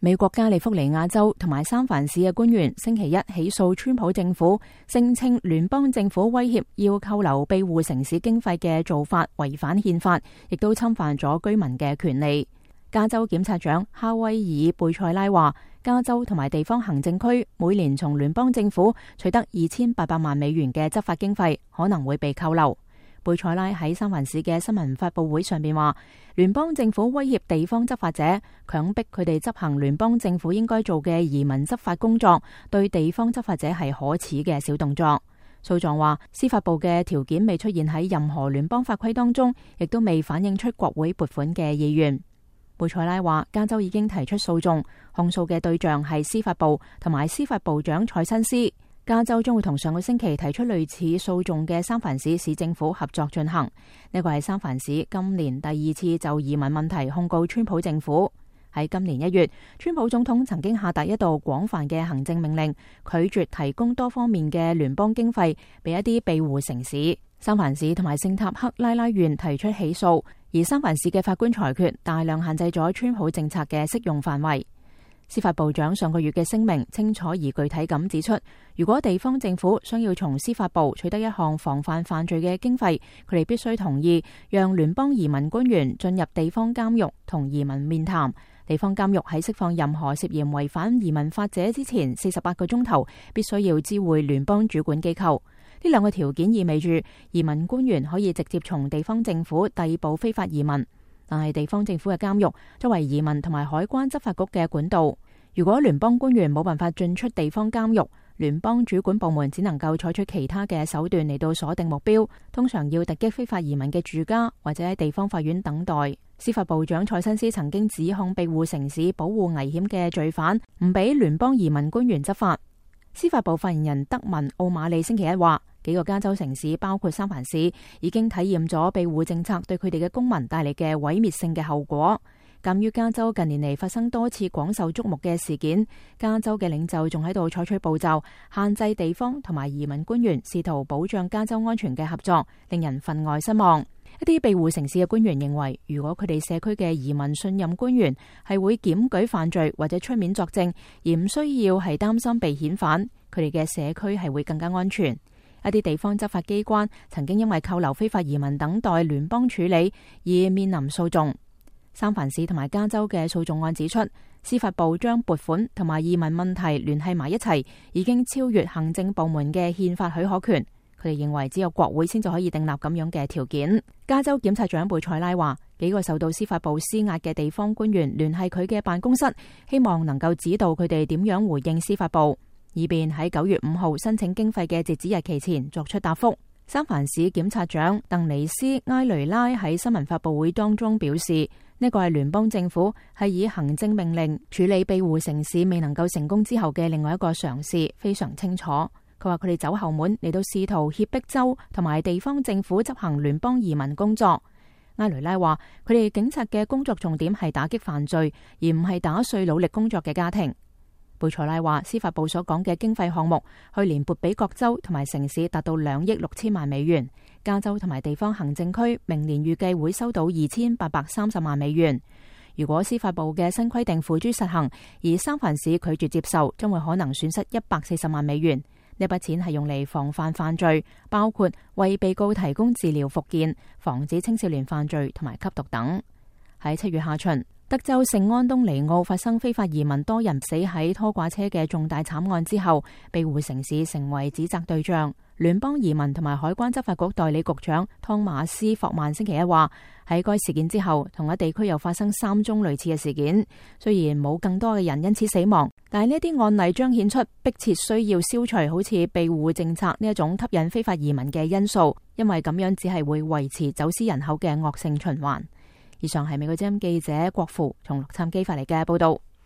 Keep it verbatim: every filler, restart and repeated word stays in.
美國加利福尼亞州同埋三藩市嘅官員星期一起訴川普政府，聲稱聯邦政府威脅要扣留庇護城市經費嘅做法違反憲法，亦都侵犯咗居民嘅權利。加州檢察長哈威爾貝塞拉話，加州同埋地方行政區每年從聯邦政府取得二千八百萬美元嘅執法經費，可能會被扣留。貝塞拉喺三藩市嘅新聞發佈會上邊話，聯邦政府威脅地方執法者，強迫佢哋執行聯邦政府應該做嘅移民執法工作，對地方執法者係可恥嘅小動作。訴狀話，司法部嘅條件未出現喺任何聯邦法規當中，亦都未反映出國會撥款嘅意願。貝塞拉話，加州已經提出訴訟，控訴嘅對象係司法部同埋司法部長蔡新斯。加州將會同上個星期提出類似訴訟嘅三藩市市政府合作進行。呢個係三藩市今年第二次就移民問題控告川普政府。喺今年一月，川普總統曾經下達一道廣泛嘅行政命令，拒絕提供多方面嘅聯邦經費俾一啲庇護城市。三藩市同埋聖塔克拉拉縣提出起訴，而三藩市嘅法官裁決大量限制咗川普政策嘅適用範圍。司法部長上個月嘅聲明清楚而具體咁指出，如果地方政府想要從司法部取得一項防範犯罪嘅經費，佢哋必須同意讓聯邦移民官員進入地方監獄同移民面談。地方監獄喺釋放任何涉嫌違反移民法者之前四十八個鐘頭，必須要知會聯邦主管機構。呢兩個條件意味住移民官員可以直接從地方政府逮捕非法移民。但係地方政府嘅監獄作為移民同埋海關執法局嘅管道，如果聯邦官員冇辦法進出地方監獄，聯邦主管部門只能夠採取其他嘅手段嚟到鎖定目標，通常要突擊非法移民嘅住家或者喺地方法院等待。司法部長蔡新斯曾經指控庇護城市保護危險嘅罪犯，唔俾聯邦移民官員執法。司法部發言人德文奧馬利星期一話，幾個加州城市包括三藩市已經體驗咗庇護政策對佢哋嘅公民帶嚟嘅毀滅性嘅後果。鑒於加州近年嚟發生多次廣受矚目嘅事件，加州嘅領袖仲喺度採取步驟，限制地方同埋移民官員試圖保障加州安全嘅合作，令人分外失望。一啲庇護城市嘅官員認為，如果佢哋社區嘅移民信任官員係會檢舉犯罪或者出面作證，而唔需要係擔心被遣返，佢哋嘅社區係會更加安全。一啲地方執法機關曾經因為扣留非法移民等待聯邦處理而面臨訴訟。三藩市同埋加州嘅訴訟案指出，司法部將撥款同埋移民問題聯繫埋一齊，已經超越行政部門嘅憲法許可權。佢哋認為只有國會先至可以訂立咁樣嘅條件。加州檢察長貝塞拉話，幾個受到司法部施壓嘅地方官員聯繫佢嘅辦公室，希望能夠指導佢哋點樣回應司法部，以便喺九月五號申請經費嘅截止日期前作出答覆。三藩市檢察長鄧尼斯埃雷拉喺新聞發佈會當中表示，呢個係聯邦政府係以行政命令處理庇護城市未能夠成功之後嘅另外一個嘗試，非常清楚。佢話佢哋走後門嚟到試圖脅迫州同埋地方政府執行聯邦移民工作。埃雷拉話佢哋警察嘅工作重點係打擊犯罪，而唔係打碎努力工作嘅家庭。貝塞拉話，司法部所講嘅經費項目去年撥俾各州同埋城市達到兩億六千萬美元，加州同埋地方行政區明年預計會收到二千八百三十萬美元。如果司法部嘅新規定付諸實行，而三藩市拒絕接受，將會可能損失一百四十萬美元。呢筆錢係用嚟防範犯罪，包括為被告提供治療復健、防止青少年犯罪同埋吸毒等。喺七月下旬，德州聖安東尼奧發生非法移民多人死喺拖掛車嘅重大慘案之後，庇護城市成為指責對象。聯邦移民同埋海關執法局代理局長湯馬斯霍曼星期一話，喺該事件之後，同一地區又發生三宗類似嘅事件。雖然冇更多嘅人因此死亡，但係呢啲案例彰顯出迫切需要消除好似庇護政策呢一種吸引非法移民嘅因素，因為咁樣只係會維持走私人口嘅惡性循環。以上係美國之音記者郭芙從洛杉磯發嚟嘅報道。